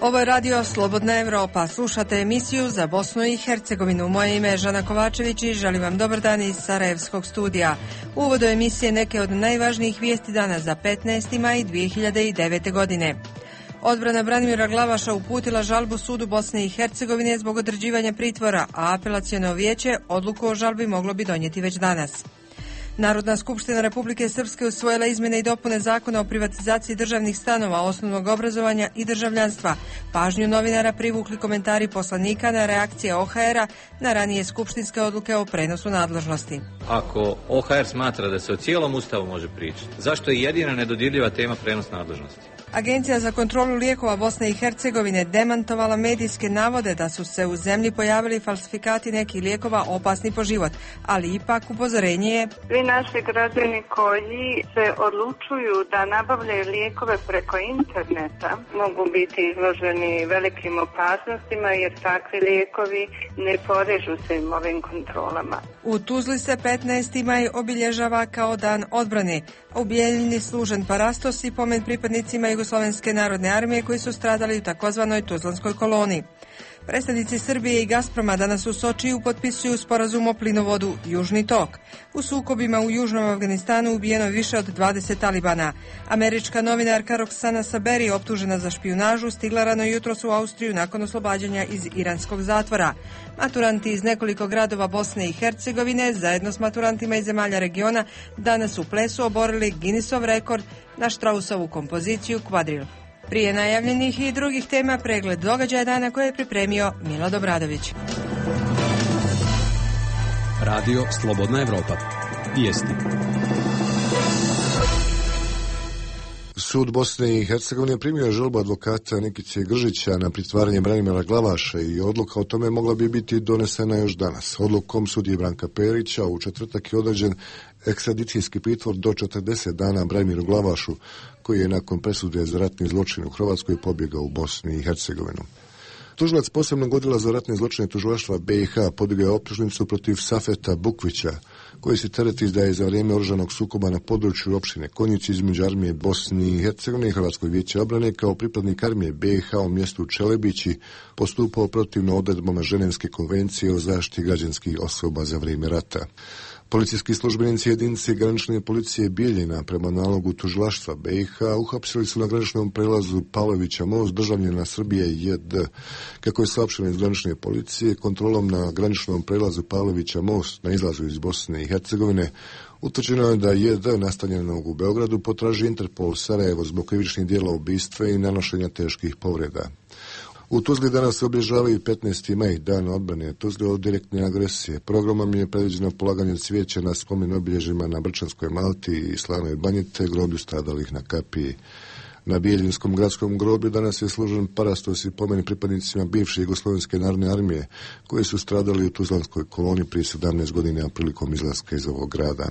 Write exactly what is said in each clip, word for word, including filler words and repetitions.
Ovo je radio Slobodna Evropa. Slušate emisiju za Bosnu i Hercegovinu. Moje ime je Žana Kovačević i želim vam dobar dan iz Sarajevskog studija. U uvodu emisije neke od najvažnijih vijesti dana za petnaesti maj dvije hiljade devete. godine. Odbrana Branimira Glavaša uputila žalbu sudu Bosne i Hercegovine zbog određivanja pritvora, a apelaciono vijeće odluku o žalbi moglo bi donijeti već danas. Narodna skupština Republike Srpske usvojila izmjene i dopune zakona o privatizaciji državnih stanova, osnovnog obrazovanja i državljanstva. Pažnju novinara privukli komentari poslanika na reakcije O H R-a na ranije skupštinske odluke o prenosu nadležnosti. Ako O H R smatra da se o cijelom ustavu može pričati, zašto je jedina nedodirljiva tema prenos nadležnosti? Agencija za kontrolu lijekova Bosne i Hercegovine demantovala medijske navode da su se u zemlji pojavili falsifikati nekih lijekova opasni po život, ali ipak upozorenje je: svi naši građani koji se odlučuju da nabavljaju lijekove preko interneta mogu biti izloženi velikim opasnostima jer takvi lijekovi ne podliježu se im ovim kontrolama. U Tuzli se petnaesti maj obilježava kao dan odbrane. U Bijeljini služen parastos i pomen pripadnicima Jugoslovenske narodne armije koji su stradali u takozvanoj Tuzlanskoj koloni. Predstavnici Srbije i Gazproma danas u Sočiju potpisuju sporazum o plinovodu Južni tok. U sukobima u Južnom Afganistanu ubijeno više od dvadeset talibana. Američka novinarka Roxana Saberi, optužena za špijunažu, stigla rano jutros u Austriju nakon oslobađanja iz iranskog zatvora. Maturanti iz nekoliko gradova Bosne i Hercegovine zajedno s maturantima iz zemalja regiona danas u plesu oborili Guinnessov rekord na Straussovu kompoziciju Kvadril. Prije najavljenih i drugih tema pregled događaja dana koje je pripremio Milad Obradović. Radio Slobodna Evropa. Vijesti. Sud Bosne i Hercegovine primio žalbu advokata Nikice Gržića na pritvaranje Branimira Glavaša i odluka o tome mogla bi biti donesena još danas. Odlukom sudije Branka Perića u četvrtak je određen ekstradicijski pritvor do četrdeset dana Branimiru Glavašu, koji je nakon presude za ratni zločin u Hrvatskoj pobjegao u Bosni i Hercegovinu. Tužilac posebnog odjela za ratne zločine tužilaštva B i H podigao je optužnicu protiv Safeta Bukvića, koji se tereti da je za vrijeme oružanog sukoba na području opštine Konjici između armije Bosne i Hercegovine i Hrvatskog vijeća obrane kao pripadnik armije B i H u mjestu Čelebići postupao protivno odredbama Ženevske konvencije o zaštiti građanskih osoba za vrijeme rata. Policijski službenici jedinice granične policije Bijeljina prema nalogu tužilaštva B i H uhapsili su na graničnom prelazu Pavlovića most državljana Srbije J D. Kako je saopšteno iz granične policije, kontrolom na graničnom prelazu Pavlovića most na izlazu iz Bosne i Hercegovine utvrđeno je da J D nastanjenog u Beogradu potraži Interpol Sarajevo zbog krivičnih djela ubistva i nanošenja teških povreda. U Tuzli danas se obilježavaju petnaesti maj, dan odbrane Tuzle od direktne agresije. Programom je predviđeno polaganje cvijeća na spomen obilježjima na Brčanskoj Malti i Slavnoj Banji te groblju stradalih na Kapiji. Na Bijeljinskom gradskom groblju danas je služen parastos i pomen pripadnicima bivše Jugoslovenske narodne armije koji su stradali u Tuzlanskoj koloni prije sedamnaest godina prilikom izlaska iz ovog grada.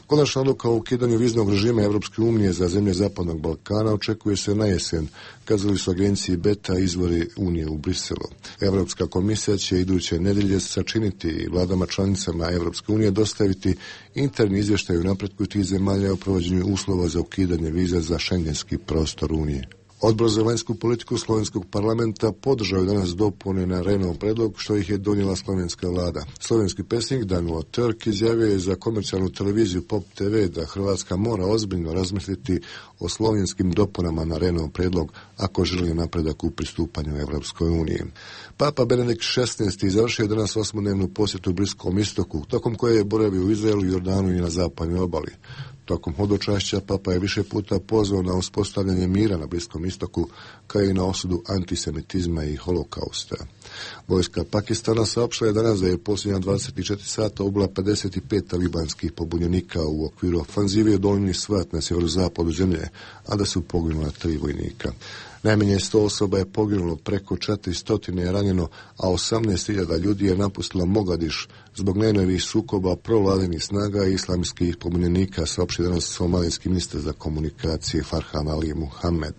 Konačna odluka o ukidanju viznog režima Evropske unije za zemlje Zapadnog Balkana očekuje se na jesen, kazali su agenciji Beta izvori Unije u Briselu. Evropska komisija će iduće nedelje sačiniti vladama članicama Evropske unije dostaviti interni izvještaj o napretku tih zemalja o provođenju uslova za ukidanje viza za šengenski prostor Unije. Odbor za vanjsku politiku Slovenskog parlamenta podržao je danas dopune na Renov predlog što ih je donijela slovenska vlada. Slovenski pesnik Danilo Turk izjavio je za komercijalnu televiziju Pop T V da Hrvatska mora ozbiljno razmisliti o slovenskim dopunama na Renov predlog ako želi napredak u pristupanju Evropskoj uniji. Papa Benedikt šesnaesti završio danas osmodnevnu posjetu Bliskom istoku, tokom koje je boravio u Izraelu, Jordanu i na zapadnoj obali. Tokom hodočašća Papa je više puta pozvao na uspostavljanje mira na Bliskom istoku, kao i na osudu antisemitizma i holokausta. Vojska Pakistana saopštila je danas da je posljednja dvadeset četiri sata ubila pedeset pet talibanskih pobunjenika u okviru ofanzive od Olujni Svat na sjeverozapadu zemlje, a da su poginula tri vojnika. Najmanje sto osoba je poginulo, preko četiristo je ranjeno, a osamnaest hiljada ljudi je napustilo Mogadiš zbog najnovijih sukoba provladinih snaga i islamskih pobunjenika, saopštio danas somalijski ministar za komunikacije Farhan Ali Muhammed.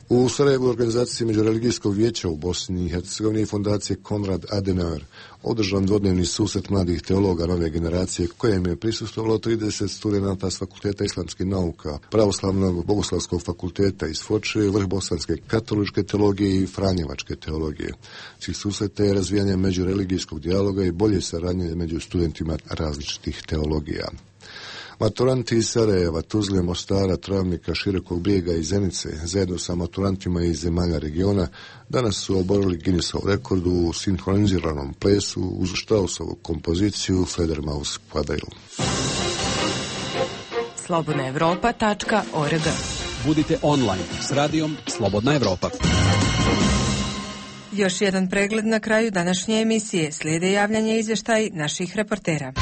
U Sarajevu organizaciji Međureligijskog vijeća u Bosni i Hercegovini i fondacije Konrad Adenauer održan dvodnevni susret mladih teologa nove generacije kojem je prisustvovalo trideset studenata s Fakulteta islamskih nauka, Pravoslavnog bogoslavskog fakulteta iz Foče, vrh bosanske katoličke teologije i franjevačke teologije. Cilj susreta je razvijanje međureligijskog dijaloga i bolje saradnje među studentima različitih teologija. Maturanti iz Sarajeva, Tuzle, Mostara, Travnika, Širokog Brijega i Zenice, zajedno sa maturantima iz zemalja regiona, danas su oborili Guinnessov rekord u sinhroniziranom plesu uz Straussovu kompoziciju Fledermaus Quadrille. slobodna evropa tačka org. Budite online s radijom Slobodna Evropa. Još jedan pregled na kraju današnje emisije. Slijede javljanje i izvještaj naših reportera.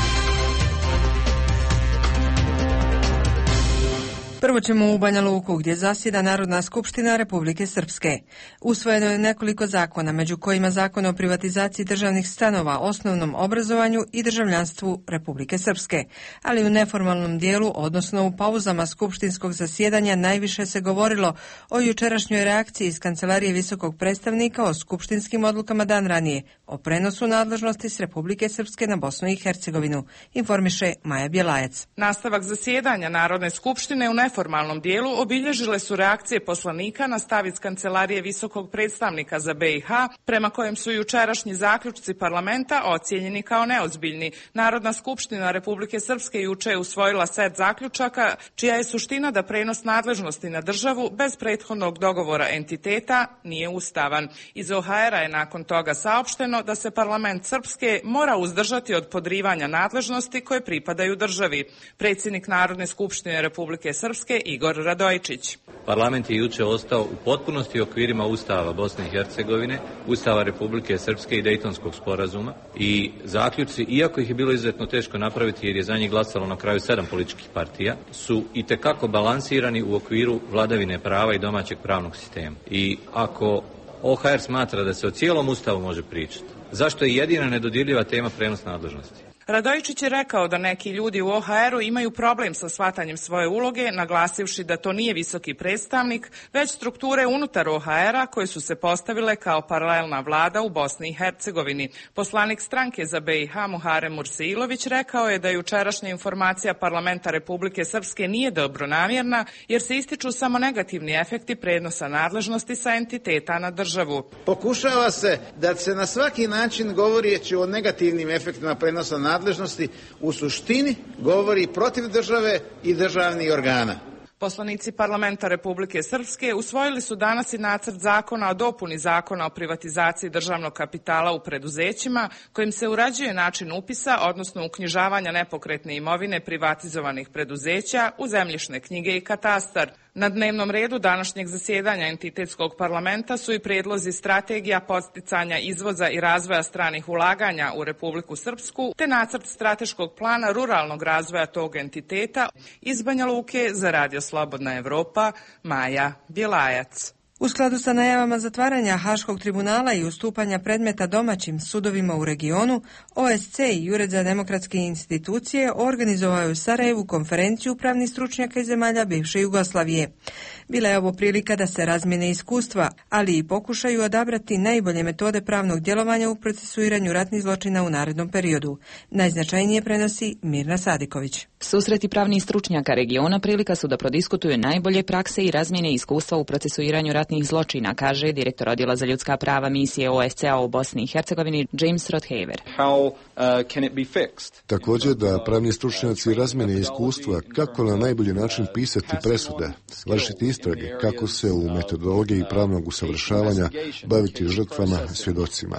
Prvo ćemo u Banja Luku, gdje zasjeda Narodna skupština Republike Srpske. Usvojeno je nekoliko zakona, među kojima Zakon o privatizaciji državnih stanova, osnovnom obrazovanju i državljanstvu Republike Srpske. Ali u neformalnom dijelu, odnosno u pauzama skupštinskog zasjedanja, najviše se govorilo o jučerašnjoj reakciji iz Kancelarije visokog predstavnika o skupštinskim odlukama dan ranije, o prenosu nadležnosti s Republike Srpske na Bosnu i Hercegovinu, informiše Maja Bjelajac. Nastavak zasjedanja Narodne skupštine u neformalnom dijelu obilježile su reakcije poslanika na stav iz Kancelarije visokog predstavnika za B i H, prema kojem su jučerašnji zaključci parlamenta ocijenjeni kao neozbiljni. Narodna skupština Republike Srpske juče je usvojila set zaključaka, čija je suština da prenos nadležnosti na državu bez prethodnog dogovora entiteta nije ustavan. Iz O H R-a je nakon toga saopšteno da se parlament Srpske mora uzdržati od podrivanja nadležnosti koje pripadaju državi. Predsjednik Narodne skupštine Republike Srpske Igor Radojičić. Parlament je juče ostao u potpunosti okvirima Ustava Bosne i Hercegovine, Ustava Republike Srpske i Dejtonskog sporazuma i zaključci, iako ih je bilo izuzetno teško napraviti jer je za njih glasalo na kraju sedam političkih partija, su itekako balansirani u okviru vladavine prava i domaćeg pravnog sistema. I ako O H R smatra da se o cijelom Ustavu može pričati, zašto je jedina nedodirljiva tema prenos nadležnosti? Radojičić je rekao da neki ljudi u O H R-u imaju problem sa shvatanjem svoje uloge, naglasivši da to nije visoki predstavnik, već strukture unutar O H R-a koje su se postavile kao paralelna vlada u Bosni i Hercegovini. Poslanik stranke za B i H Muharem Murseilović rekao je da jučerašnja informacija parlamenta Republike Srpske nije dobronamjerna, jer se ističu samo negativni efekti prenosa nadležnosti sa entiteta na državu. Pokušava se da se na svaki način govorijeći o negativnim efektima prenosa nadležnosti nadležnosti u suštini govori protiv države i državnih organa. Poslanici parlamenta Republike Srpske usvojili su danas i nacrt zakona o dopuni zakona o privatizaciji državnog kapitala u preduzećima, kojim se uređuje način upisa, odnosno uknjižavanja nepokretne imovine privatizovanih preduzeća u zemljišne knjige i katastar. Na dnevnom redu današnjeg zasjedanja entitetskog parlamenta su i prijedlozi strategija podsticanja izvoza i razvoja stranih ulaganja u Republiku Srpsku, te nacrt strateškog plana ruralnog razvoja tog entiteta. Iz Banja Luke za Radio Slobodna Evropa, Maja Bjelajac. U skladu sa najavama zatvaranja Haškog tribunala i ustupanja predmeta domaćim sudovima u regionu, O S C i Ured za demokratske institucije organizovao je u Sarajevu konferenciju pravnih stručnjaka iz zemalja bivše Jugoslavije. Bila je ovo prilika da se razmjene iskustva, ali i pokušaju odabrati najbolje metode pravnog djelovanja u procesuiranju ratnih zločina u narednom periodu. Najznačajnije prenosi Mirna Sadiković. Susreti pravnih stručnjaka regiona prilika su da prodiskutuju najbolje prakse i razmjene iskustva u procesuiranju ratnih zločina, kaže direktor odjela za ljudska prava misije O S C-a u Bosni i Hercegovini James Rothaver. How, uh, can it be fixed? Također da pravni stručnjaci razmjene iskustva kako na najbolji način pisati presude, vršiti istrage, kako se u metodologiji pravnog usavršavanja baviti žrtvama, svjedocima.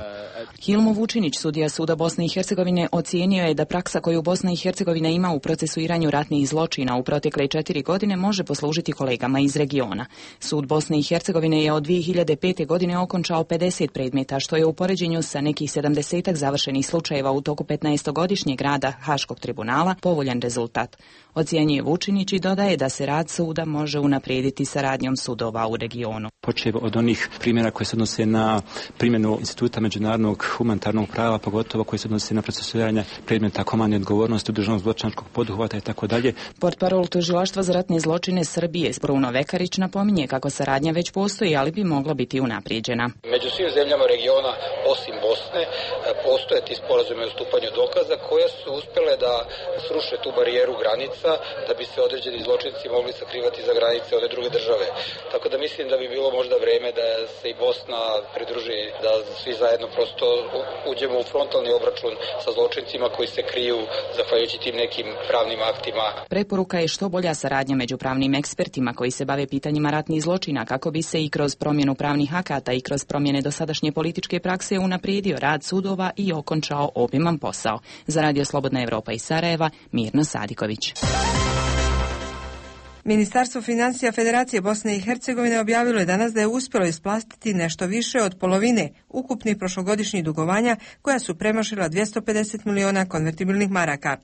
Hilmo Vučinić, sudija Suda Bosne i Hercegovine, ocijenio je da praksa koju Bosna i Hercegovina ima u procesuiranju ratnih zločina u protekle četiri godine može poslužiti kolegama iz regiona. Sud Bosne i Hercegovine je od dvije hiljade pete. godine okončao pedeset predmeta, što je u poređenju sa nekih sedamdesetak završenih slučajeva u toku petnaestogodišnjeg rada Haškog tribunala povoljan rezultat. Ocjenjuje Vučinić i dodaje da se rad suda može unaprijediti saradnjom sudova u regionu. Počev od onih primjera koji se odnose na primjenu instituta međunarodnog humanitarnog prava, pogotovo koji se odnose na procesuiranje predmeta komandne odgovornosti, udruženog zločinačkog poduhvata i tako dalje. Portparol tužilaštva za ratne zločine Srbije Bruno Vekarić napominje kako saradnja već postoji postoji, ali bi mogla biti unaprijeđena. Među svim zemljama regiona, osim Bosne, postoje ti sporazumi o stupanju dokaza koje su uspjele da sruše tu barijeru granica da bi se određeni zločinci mogli sakrivati za granice one druge države. Tako da mislim da bi bilo možda vreme da se i Bosna pridruži, da svi zajedno prosto uđemo u frontalni obračun sa zločincima koji se kriju zahvaljujući tim nekim pravnim aktima. Preporuka je što bolja saradnja među pravnim ekspertima koji se bave pitanjima ratnih zločina kako bi se i kroz promjenu pravnih akata i kroz promjene dosadašnje političke prakse unaprijedio rad sudova i okončao obiman posao. Za Radio Slobodna Evropa iz Sarajeva, Mirna Sadiković. Ministarstvo financija Federacije Bosne i Hercegovine objavilo je danas da je uspjelo isplatiti nešto više od polovine ukupnih prošlogodišnjih dugovanja koja su premašila dvjesto pedeset miliona konvertibilnih maraka.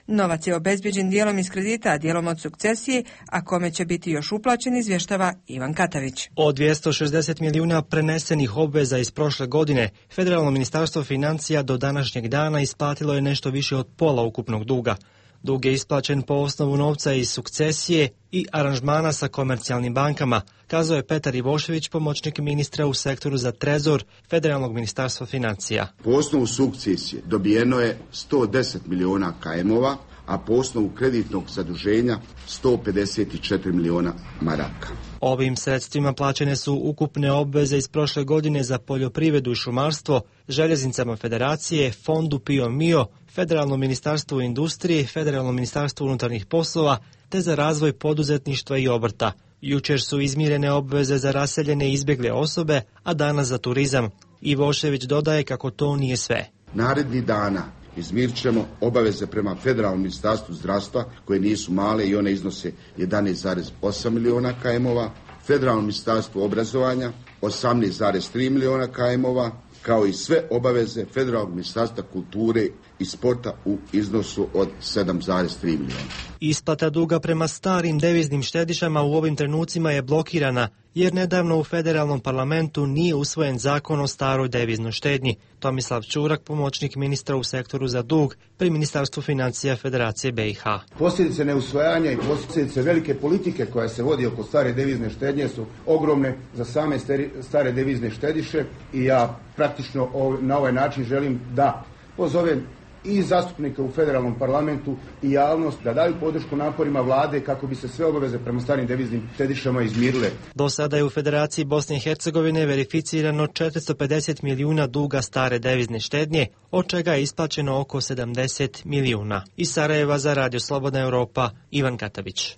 Novac je obezbjeđen dijelom iz kredita, a dijelom od sukcesije, a kome će biti još uplaćen, izvještava Ivan Katavić. Od dvjesto šezdeset milijuna prenesenih obveza iz prošle godine, Federalno ministarstvo financija do današnjeg dana isplatilo je nešto više od pola ukupnog duga. Dug je isplaćen po osnovu novca iz sukcesije i aranžmana sa komercijalnim bankama, kazao je Petar Ivošević, pomoćnik ministra u sektoru za trezor Federalnog ministarstva financija. Po osnovu sukcesije dobijeno je sto deset miliona K M-ova, a po osnovu kreditnog zaduženja sto pedeset četiri miliona maraka. Ovim sredstvima plaćene su ukupne obveze iz prošle godine za poljoprivredu i šumarstvo, željeznicama Federacije, Fondu Pio Mio, Federalno ministarstvo industrije, Federalno ministarstvo unutarnjih poslova, te za razvoj poduzetništva i obrta. Jučer su izmirene obveze za raseljene i izbjegle osobe, a danas za turizam. Ivošević dodaje kako to nije sve. Narednih dana izmirit ćemo obaveze prema Federalnom ministarstvu zdravstva, koje nisu male i one iznose jedanaest zarez osam miliona K M-ova, Federalno ministarstvo obrazovanja osamnaest zarez tri miliona K M-ova, kao i sve obaveze Federalnog ministarstva kulture i sporta u iznosu od sedam zarez tri miliona. Isplata duga prema starim deviznim štedišama u ovim trenucima je blokirana, jer nedavno u federalnom parlamentu nije usvojen zakon o staroj deviznoj štednji. Tomislav Čurak, pomoćnik ministra u sektoru za dug pri Ministarstvu financija Federacije B i H. Posljedice neusvajanja i posljedice velike politike koja se vodi oko stare devizne štednje su ogromne za same stare devizne štediše i ja praktično na ovaj način želim da pozovem i zastupnike u federalnom parlamentu i javnost da daju podršku naporima vlade kako bi se sve obaveze prema starim deviznim štedišama izmirile. Do sada je u Federaciji Bosne i Hercegovine verificirano četiristo pedeset milijuna duga stare devizne štednje, od čega je isplaćeno oko sedamdeset milijuna. Iz Sarajeva za Radio Slobodna Evropa, Ivan Katavić.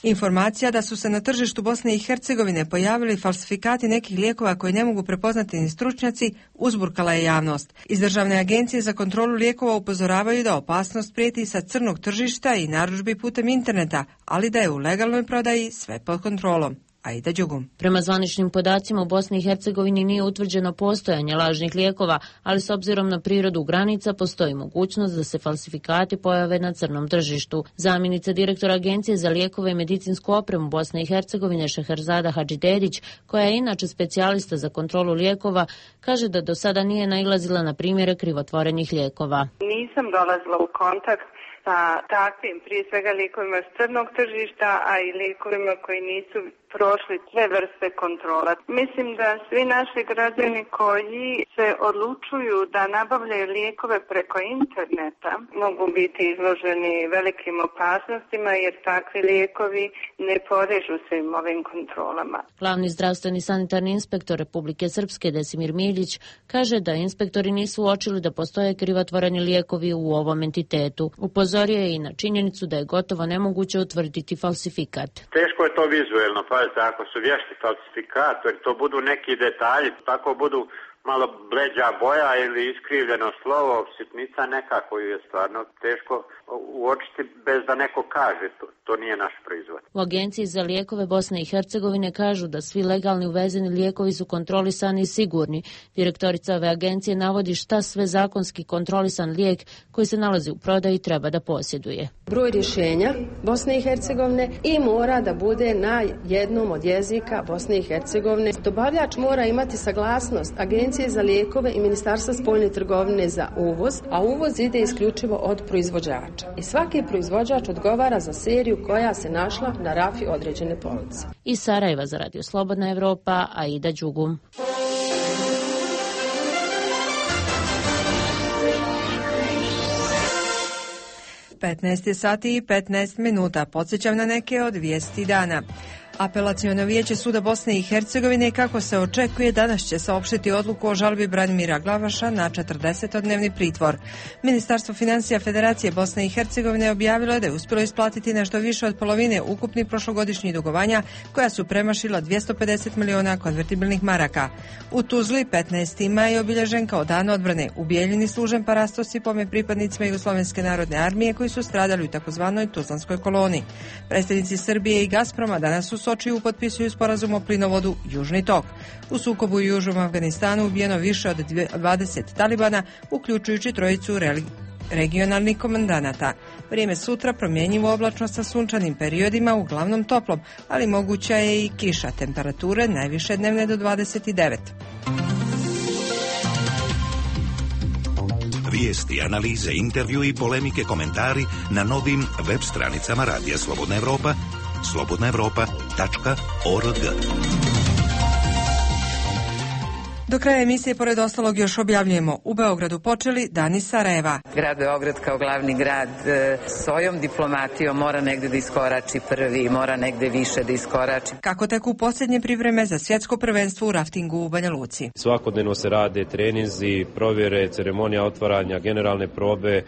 Informacija da su se na tržištu Bosne i Hercegovine pojavili falsifikati nekih lijekova koji ne mogu prepoznati ni stručnjaci uzburkala je javnost. Iz Državne agencije za kontrolu lijekova upozoravaju da opasnost prijeti sa crnog tržišta i narudžbi putem interneta, ali da je u legalnoj prodaji sve pod kontrolom. Aida Đugum. Prema zvaničnim podacima u Bosni i Hercegovini nije utvrđeno postojanje lažnih lijekova, ali s obzirom na prirodu granica postoji mogućnost da se falsifikati pojave na crnom tržištu. Zamjenica direktora Agencije za lijekove i medicinsku opremu Bosne i Hercegovine Šeherzada Hadžidedić, koja je inače specijalista za kontrolu lijekova, kaže da do sada nije nailazila na primjere krivotvorenih lijekova. Nisam dolazila u kontakt sa takvim, prije svega lijekovima s crnog tržišta, a i lijekovima koji nisu prošli sve vrste kontrola. Mislim da svi naši građani koji se odlučuju da nabavljaju lijekove preko interneta mogu biti izloženi velikim opasnostima jer takvi lijekovi ne podliježu svim ovim kontrolama. Glavni zdravstveni sanitarni inspektor Republike Srpske Desimir Miljić kaže da inspektori nisu uočili da postoje krivotvoreni lijekovi u ovom entitetu. Upozorio je i na činjenicu da je gotovo nemoguće utvrditi falsifikat. Teško je to vizuelno, pa ako su vješti falsifikatori, to budu neki detalji, tako budu malo bleđa boja ili iskrivljeno slovo, sitnica neka koju je stvarno teško uočiti bez da neko kaže, to, to nije naš proizvod. U Agenciji za lijekove Bosne i Hercegovine kažu da svi legalni uvezeni lijekovi su kontrolisani i sigurni. Direktorica ove agencije navodi šta sve zakonski kontrolisan lijek koji se nalazi u prodaji treba da posjeduje. Broj rješenja Bosne i Hercegovine i mora da bude na jednom od jezika Bosne i Hercegovine. Dobavljač mora imati saglasnost Agencije Agencije za lijekove i Ministarstva spoljne trgovine za uvoz, a uvoz ide isključivo od proizvođača. I svaki proizvođač odgovara za seriju koja se našla na rafi određene police. Iz Sarajeva za Radio Slobodna Evropa, Aida Đugum. petnaest sati i petnaest minuta. Podsjećam na neke od vijesti dana. Apelaciono vijeće Suda Bosne i Hercegovine, kako se očekuje, danas će saopštiti odluku o žalbi Branimira Glavaša na četrdesetodnevni pritvor. Ministarstvo financija Federacije Bosne i Hercegovine objavilo je da je uspjelo isplatiti nešto više od polovine ukupnih prošlogodišnjih dugovanja, koja su premašila dvjesto pedeset miliona konvertibilnih maraka. U Tuzli petnaesti maj je obilježen kao dan odbrane. U Bijeljini služen parastos i pomen pripadnicima Jugoslovenske narodne armije koji su stradali u takozvanoj Tuzlanskoj koloni. Predstavnici Srbije i Gazproma danas su Sočiju potpisuju sporazum o plinovodu Južni tok. U sukobu u Južnom Afganistanu ubijeno više od dvadeset talibana, uključujući trojicu regionalnih komandanata. Vrijeme sutra promjenjivo, oblačno sa sunčanim periodima, uglavnom toplom, ali moguća je i kiša. Temperature najviše dnevne do dvadeset devet. Vijesti, analize, intervju i polemike, komentari na novim web stranicama Radija Slobodna Evropa, slobodna evropa tačka org. Do kraja emisije, pored ostalog, još objavljujemo: u Beogradu počeli Dani Sarajeva. Grad Beograd kao glavni grad svojom diplomatijom mora negde da iskorači prvi, mora negde više da iskorači. Kako teku posljednje pripreme za svjetsko prvenstvo u raftingu u Banja Luci? Svakodnevno se rade treninzi, provjere, ceremonija otvaranja, generalne probe.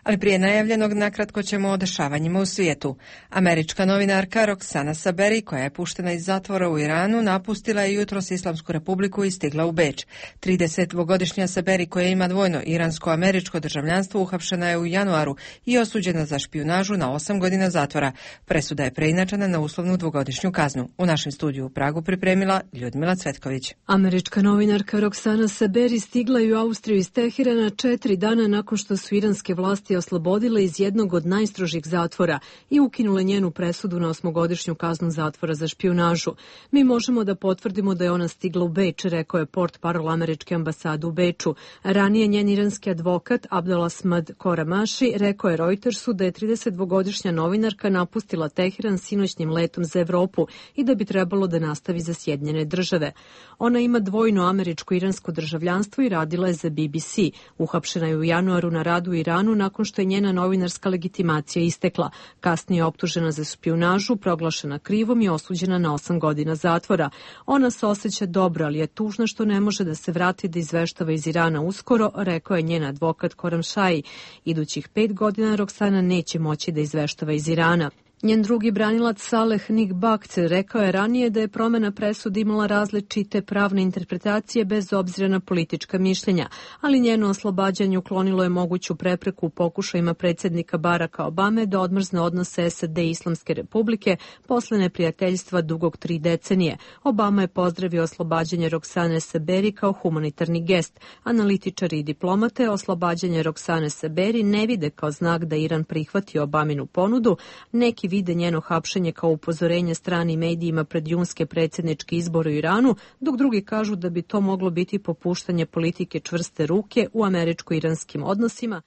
Ali prije najavljenog, nakratko ćemo o dešavanjima u svijetu. Američka novinarka Roxana Saberi, koja je puštena iz zatvora u Iranu, napustila je jutros Islamsku republiku i stigla u Beč. tridesetdvogodišnja Saberi, koja ima dvojno iransko-američko državljanstvo, uhapšena je u januaru i osuđena za špijunažu na osam godina zatvora. Presuda je preinačena na uslovnu dvogodišnju kaznu. U našem studiju u Pragu pripremila Ljudmila Cvetković. Američka novinarka Roxana Saberi stigla je u Austriju iz Teherana četiri dana nakon što su iranske vlasti oslobodile iz jednog od najstrožih zatvora i ukinule njenu presudu na osmogodišnju kaznu zatvora za špijunažu. Mi možemo da potvrdimo da je ona stigla u Beč, rekao je portparol američke ambasade u Beču. Ranije njen iranski advokat Abdelasmad Koramaši rekao je Reutersu da je tridesetdvogodišnja novinarka napustila Teheran sinoćnim letom za Evropu i da bi trebalo da nastavi za Sjedinjene države. Ona ima dvojno američko-iransko državljanstvo i radila je za B B C. Uhapšena je u januaru na radu u Iranu nakon što je njena novinarska legitimacija istekla. Kasnije je optužena za špijunažu, proglašena krivom i osuđena na osam godina zatvora. Ona se osjeća dobro, ali je tužna što ne može da se vrati da izveštava iz Irana uskoro, rekao je njen advokat Koramšaji. Idućih pet godina Roxana neće moći da izveštava iz Irana. Njen drugi branilac Saleh Nikbakt rekao je ranije da je promjena presude imala različite pravne interpretacije bez obzira na politička mišljenja, ali njeno oslobađanje uklonilo je moguću prepreku u pokušajima predsjednika Baracka Obame da odmrzne odnose S A D i Islamske republike posle neprijateljstva dugog tri decenije. Obama je pozdravio oslobađanje Roxane Saberi kao humanitarni gest. Analitičari i diplomate oslobađanje Roxane Saberi ne vide kao znak da Iran prihvati Obaminu ponudu. Neki vide njeno hapšenje kao upozorenje stranim medijima pred junske predsjedničke izbore u Iranu, dok drugi kažu da bi to moglo biti popuštanje politike čvrste ruke u američko-iranskim odnosima.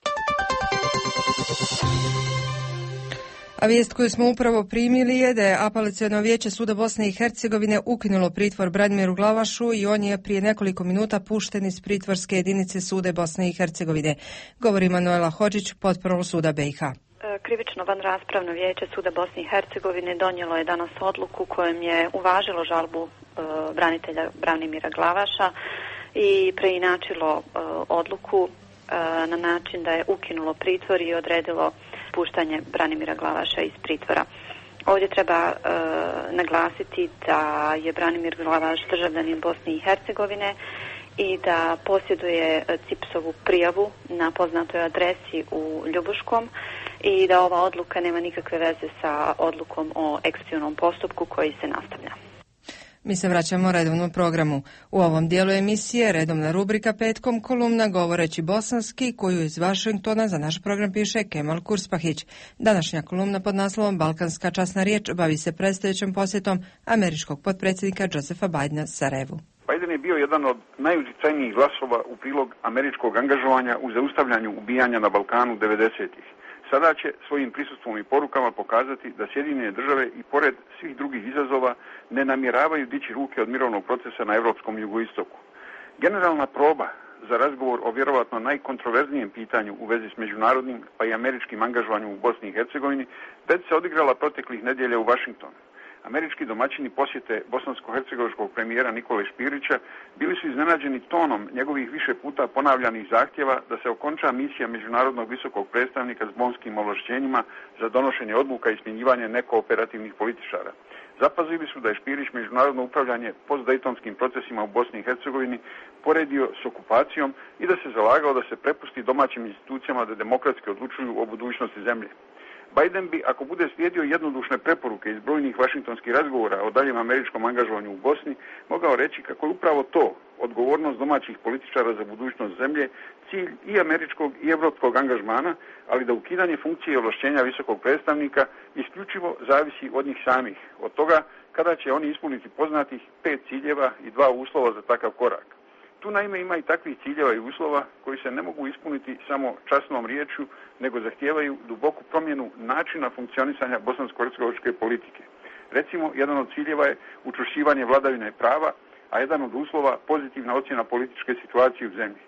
A vijest koju smo upravo primili je da je Apelaciono vijeće Suda Bosne i Hercegovine ukinulo pritvor Branimiru Glavašu i on je prije nekoliko minuta pušten iz pritvorske jedinice Suda Bosne i Hercegovine. Govori Manuela Hodžić, portparol Suda B i H. Krivično vanraspravno vijeće Suda Bosne i Hercegovine donijelo je danas odluku kojom je uvažilo žalbu e, branitelja Branimira Glavaša i preinačilo e, odluku e, na način da je ukinulo pritvor i odredilo puštanje Branimira Glavaša iz pritvora. Ovdje treba e, naglasiti da je Branimir Glavaš državljanin Bosne i Hercegovine i da posjeduje C I P S-ovu prijavu na poznatoj adresi u Ljubuškom i da ova odluka nema nikakve veze sa odlukom o ekspeditivnom postupku koji se nastavlja. Mi se vraćamo redovnom programu. U ovom dijelu emisije redovna rubrika Petkom, kolumna Govoreći bosanski, koju iz Vašingtona za naš program piše Kemal Kurspahić. Današnja kolumna pod naslovom Balkanska časna riječ bavi se predstojećom posjetom američkog potpredsjednika Josepha Bidena Sarajevu. Biden je bio jedan od najutjecajnijih glasova u prilog američkog angažovanja u zaustavljanju ubijanja na Balkanu devedesetih. Sada će svojim prisustvom i porukama pokazati da Sjedinjene države i pored svih drugih izazova ne namjeravaju dići ruke od mirovnog procesa na europskom jugoistoku. Generalna proba za razgovor o vjerovatno najkontroverznijem pitanju u vezi s međunarodnim pa i američkim angažovanjem u Bosni i Hercegovini već se odigrala proteklih nedjelja u Vašingtonu. Američki domaćini posjete bosansko-hercegovačkog premijera Nikole Špirića bili su iznenađeni tonom njegovih više puta ponavljanih zahtjeva da se okonča misija međunarodnog visokog predstavnika s bonskim ovlašćenjima za donošenje odluka i smjenjivanje nekooperativnih političara. Zapazili su da je Špirić međunarodno upravljanje postdejtonskim procesima u Bosni i Hercegovini poredio s okupacijom i da se zalagao da se prepusti domaćim institucijama da demokratski odlučuju o budućnosti zemlje. Biden bi, ako bude slijedio jednodušne preporuke iz brojnih vašingtonskih razgovora o daljem američkom angažovanju u Bosni, mogao reći kako je upravo to, odgovornost domaćih političara za budućnost zemlje, cilj i američkog i evropskog angažmana, ali da ukidanje funkcije i ovlašćenja visokog predstavnika isključivo zavisi od njih samih, od toga kada će oni ispuniti poznatih pet ciljeva i dva uslova za takav korak. Tu naime ima i takvih ciljeva i uslova koji se ne mogu ispuniti samo časnom riječju, nego zahtijevaju duboku promjenu načina funkcionisanja bosansko-hercegovačke politike. Recimo, jedan od ciljeva je učvršćivanje vladavine prava, a jedan od uslova pozitivna ocjena političke situacije u zemlji.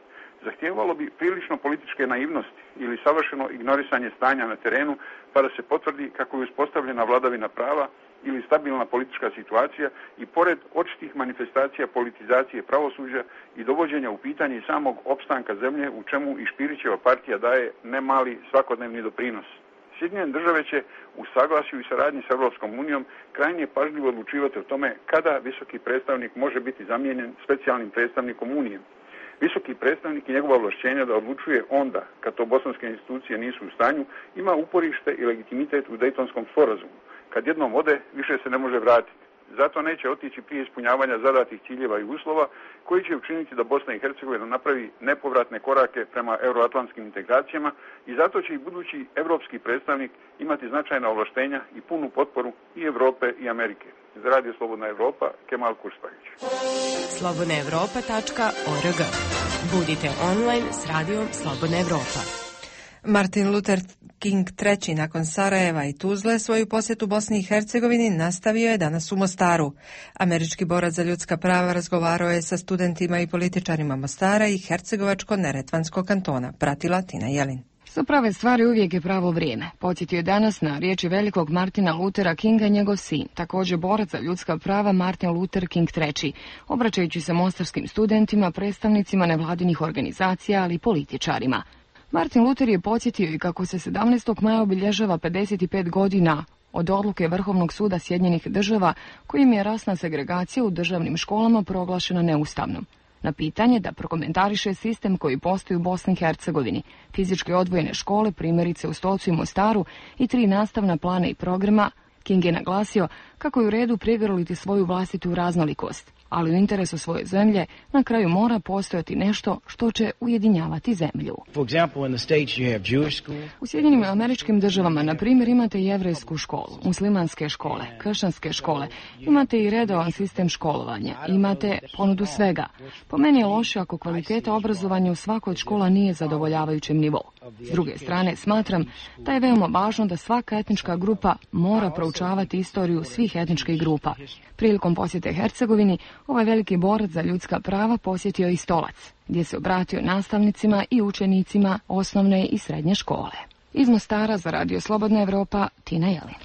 Zahtijevalo bi prilično političke naivnosti ili savršeno ignorisanje stanja na terenu, pa da se potvrdi kako je uspostavljena vladavina prava ili stabilna politička situacija i pored očitih manifestacija politizacije pravosuđa i dovođenja u pitanje samog opstanka zemlje, u čemu i Špirićeva partija daje nemali svakodnevni doprinos. Sjedinjene države će u saglasju i saradnji s Europskom unijom krajnje pažljivo odlučivati o tome kada visoki predstavnik može biti zamijenjen specijalnim predstavnikom Unije. Visoki predstavnik i njegova ovlašćenja da odlučuje onda, kad to bosanske institucije nisu u stanju, ima uporište i legitimitet u Dejtonskom sporazumu. Kad jednom ode, više se ne može vratiti. Zato neće otići prije ispunjavanja zadatih ciljeva i uslova koji će učiniti da Bosna i Hercegovina napravi nepovratne korake prema euroatlantskim integracijama i zato će i budući evropski predstavnik imati značajna ovlaštenja i punu potporu i Europe i Amerike. Za Radio Slobodna Evropa, Kemal Kurspahić. slobodna evropa tačka org. Budite online s Radijom Slobodna Evropa. Martin Luther King treći nakon Sarajeva i Tuzle svoju posjetu Bosni i Hercegovini nastavio je danas u Mostaru. Američki borac za ljudska prava razgovarao je sa studentima i političarima Mostara i Hercegovačko-Neretvanskog kantona. Pratila Tina Jelin. Za prave stvari uvijek je pravo vrijeme. Podsjetio je danas na riječi velikog Martina Luthera Kinga njegov sin, također borac za ljudska prava Martin Luther King treći, obraćajući se mostarskim studentima, predstavnicima nevladinih organizacija, ali i političarima. Martin Luther je podsjetio i kako se sedamnaestog maja obilježava pedeset pet godina od odluke Vrhovnog suda Sjedinjenih država kojim je rasna segregacija u državnim školama proglašena neustavnom. Na pitanje da prokomentariše sistem koji postoji u Bosni i Hercegovini, fizički odvojene škole, primjerice u Stocu i Mostaru i tri nastavna plana i programa, King je naglasio kako je u redu prigrliti svoju vlastitu raznolikost, ali u interesu svoje zemlje na kraju mora postojati nešto što će ujedinjavati zemlju. U Sjedinjenim Američkim državama, na primjer, imate jevrejsku školu, muslimanske škole, kršćanske škole, imate i redovan sistem školovanja, imate ponudu svega. Po meni je loše ako kvaliteta obrazovanja u svakoj od škola nije zadovoljavajućem nivou. S druge strane, smatram da je veoma važno da svaka etnička grupa mora proučavati istoriju svih etničkih grupa. Prilikom posjete Hercegovini, ovaj veliki borac za ljudska prava posjetio i Stolac, gdje se obratio nastavnicima i učenicima osnovne i srednje škole. Iz Mostara za Radio Slobodna Evropa, Tina Jelin.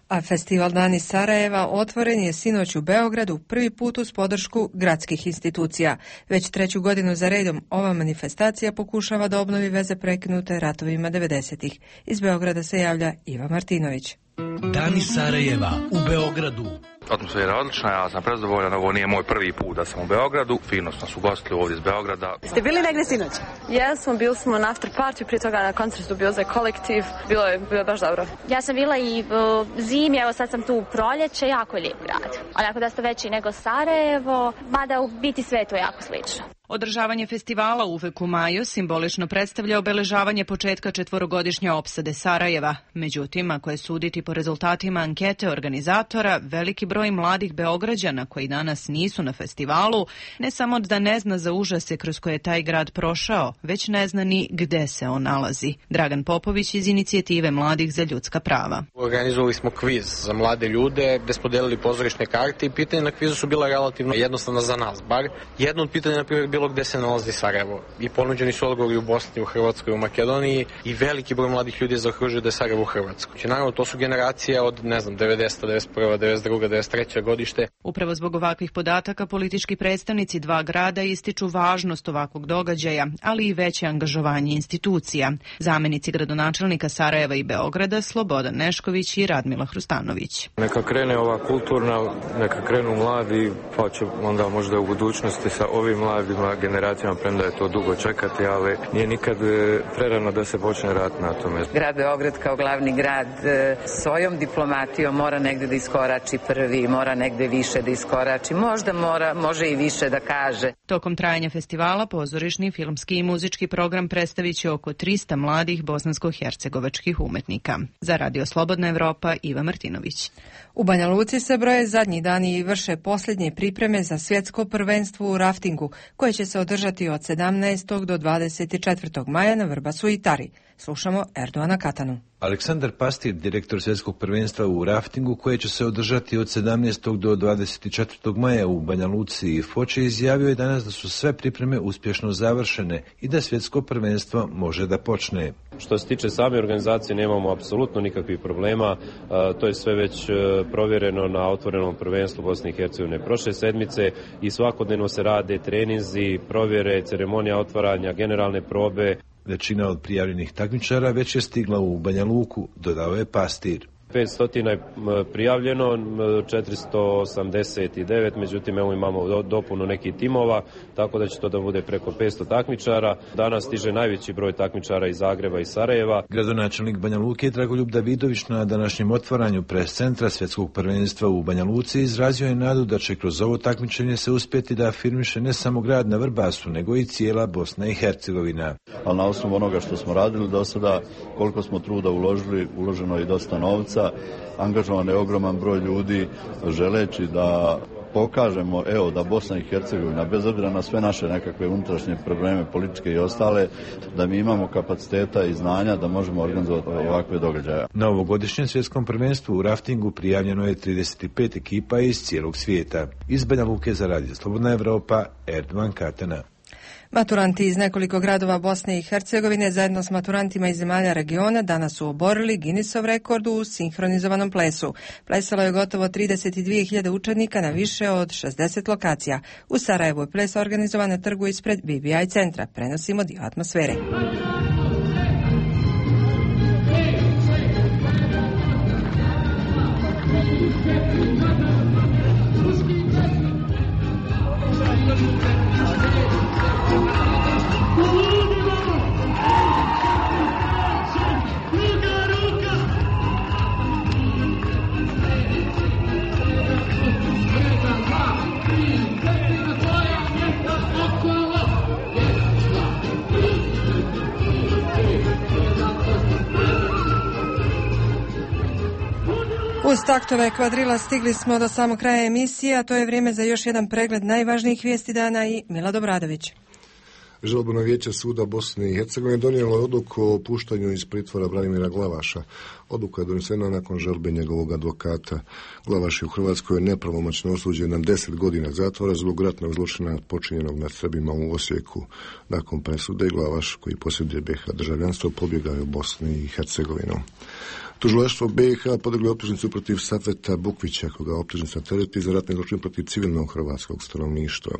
A festival Dani Sarajeva otvoren je sinoć u Beogradu prvi put uz podršku gradskih institucija. Već treću godinu za redom ova manifestacija pokušava da obnovi veze prekinute ratovima devedesetih. Iz Beograda se javlja Iva Martinović. Dani Sarajeva u Beogradu. Atmosfera je odlična, ja sam prezadovoljan, ovo nije moj prvi put da sam u Beogradu, fino smo su gostili ovdje iz Beograda. Ste bili negdje sinoć? Jesmo, bili smo na after party, prije toga na koncertu bio za kolektiv, bilo je, bilo je baš dobro. Ja sam bila i uh, zimi, evo sad sam tu u proljeće, jako lijep grad. Onako da ste veći nego Sarajevo, mada u biti sve to jako slično. Održavanje festivala uvek u maju simbolično predstavlja obeležavanje početka četvorogodišnje opsade Sarajeva. Međutim, ako je suditi po rezultatima ankete organizatora, veliki broj mladih Beograđana koji danas nisu na festivalu, ne samo da ne zna za užase kroz koje je taj grad prošao, već ne zna ni gde se on nalazi. Dragan Popović iz inicijative Mladih za ljudska prava. Organizovali smo kviz za mlade ljude, gde smo delili pozorišne karte i pitanja na kvizu su bila relativno jednostavna za nas, bar. Jedno od pitanja, na primjer, bilo gde se nalazi Sarajevo. I ponuđeni su odgovori u Bosni, u Hrvatskoj, u Makedoniji i veliki broj mladih ljudi je zaokružio da je Sarajevo u Hrvatskoj. Znači, naravno, to su generacije od, ne znam, devedeseta, devedeset prva, devedeset druga, devedeset treća godište. Upravo zbog ovakvih podataka politički predstavnici dva grada ističu važnost ovakvog događaja, ali i veće angažovanje institucija. Zamenici gradonačelnika Sarajeva i Beograda Slobodan Nešković i Radmila Hrustanović. Neka krene ova kulturna, neka krenu mladi, pa će onda možda u budućnosti sa ovim mladima generacijama, premda je to dugo čekati, ali nije nikad prerano da se počne rat na tome. Grad Beograd kao glavni grad svojom diplomatijom mora negde da iskorači prvi, mora negde više da iskorači, možda mora, može i više da kaže. Tokom trajanja festivala pozorišni, filmski i muzički program predstavit će oko trista mladih bosansko-hercegovačkih umetnika. Za Radio Slobodna Evropa, Iva Martinović. U Banja Luci se broje zadnji dani i vrše posljednje pripreme za svjetsko prvenstvo u raftingu, koje će se održati od sedamnaestog do dvadeset četvrtog maja na Vrbasu i Tari. Slušamo Erdoana Katanu. Aleksandar Pastir, direktor svjetskog prvenstva u raftingu, koje će se održati od sedamnaestog do dvadeset četvrtog maja u Banja Luci i Foči, izjavio je danas da su sve pripreme uspješno završene i da svjetsko prvenstvo može da počne. Što se tiče same organizacije, nemamo apsolutno nikakvih problema. To je sve već provjereno na otvorenom prvenstvu Bosne i Hercegovine prošle sedmice i svakodnevno se rade treninzi, provjere, ceremonija otvaranja, generalne probe. Većina od prijavljenih takmičara već je stigla u Banja Luku, dodao je Pastir. petsto je prijavljeno, četiristo osamdeset devet, međutim evo imamo dopunu nekih timova, tako da će to da bude preko petsto takmičara. Danas stiže najveći broj takmičara iz Zagreba i Sarajeva. Gradonačelnik Banja Luke Dragoljub Davidović na današnjem otvaranju pres centra svjetskog prvenstva u Banja Luci izrazio je nadu da će kroz ovo takmičenje se uspjeti da afirmiše ne samo grad na Vrbasu, nego i cijela Bosna i Hercegovina. Ali na osnovu onoga što smo radili do sada, koliko smo truda uložili, uloženo je dosta novca, angažovan je ogroman broj ljudi želeći da pokažemo, evo, da Bosna i Hercegovina, bez obzira na sve naše nekakve unutrašnje probleme, političke i ostale, da mi imamo kapaciteta i znanja da možemo organizovati ovakve događaje. Na ovogodišnjem svjetskom prvenstvu u raftingu prijavljeno je trideset pet ekipa iz cijelog svijeta. Iz Banja Luke za Radio Slobodna Evropa, Erdoan Katana. Maturanti iz nekoliko gradova Bosne i Hercegovine zajedno s maturantima iz zemalja regiona danas su oborili Guinnessov rekord u sinhronizovanom plesu. Plesalo je gotovo trideset dvije hiljade učenika na više od šezdeset lokacija. U Sarajevu je ples organizovan na trgu ispred B B I centra. Prenosimo dio atmosfere. Uz taktove kvadrila stigli smo do samog kraja emisije, a to je vrijeme za još jedan pregled najvažnijih vijesti dana i Milad Obradović. Žalbeno vijeće suda Bosne i Hercegovine donijelo je odluku o puštanju iz pritvora Branimira Glavaša. Odluka je donesena nakon žalbe njegovog advokata. Glavaš je u Hrvatskoj nepravomoćno osuđen na deset godina zatvora zbog ratnog zločina počinjenog nad Srbima u Osijeku. Nakon presude Glavaš, koji posjeduje B iH državljanstvo, pobjegao je u Bosni i Hercegovinu. Tužilaštvo B iH podiglo optužnicu protiv Safeta Bukvića, koga optužnica tereti za ratni zločin protiv civilnog hrvatskog stanovništva.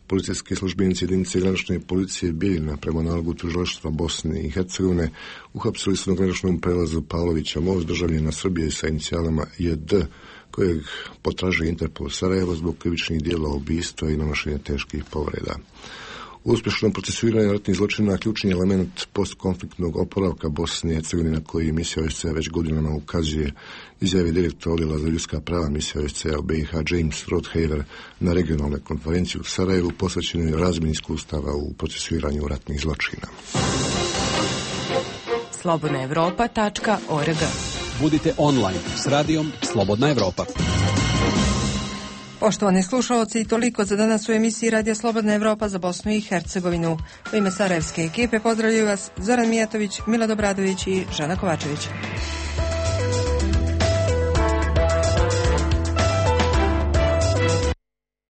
Policijski službenici jedinice granične policije policije Bijeljina prema nalogu tužilaštva Bosne i Hercegovine uhapsili su na graničnom prelazu Pavlovića most državljana Srbije sa inicijalama J D, kojeg potražuje Interpol Sarajevo zbog krivičnih dijela ubistva i nanošenja teških povreda. Uspješno procesuiranje ratnih zločina ključni element postkonfliktnog oporavka Bosne i Hercegovine na koji misija O S C E već godinama ukazuje, izjavi direktor odjela za ljudska prava misija O S C E u B i H James Rothhaver na regionalnoj konferenciji u Sarajevu posvećenoj razmjeni iskustava u procesuiranju ratnih zločina. slobodna evropa tačka org. Budite online s radijom Slobodna Evropa. Poštovani slušalci, toliko za danas u emisiji Radija Slobodna Evropa za Bosnu i Hercegovinu. U ime sarajevske ekipe pozdravljaju vas Zoran Mijatović, Milad Obradović i Žana Kovačević.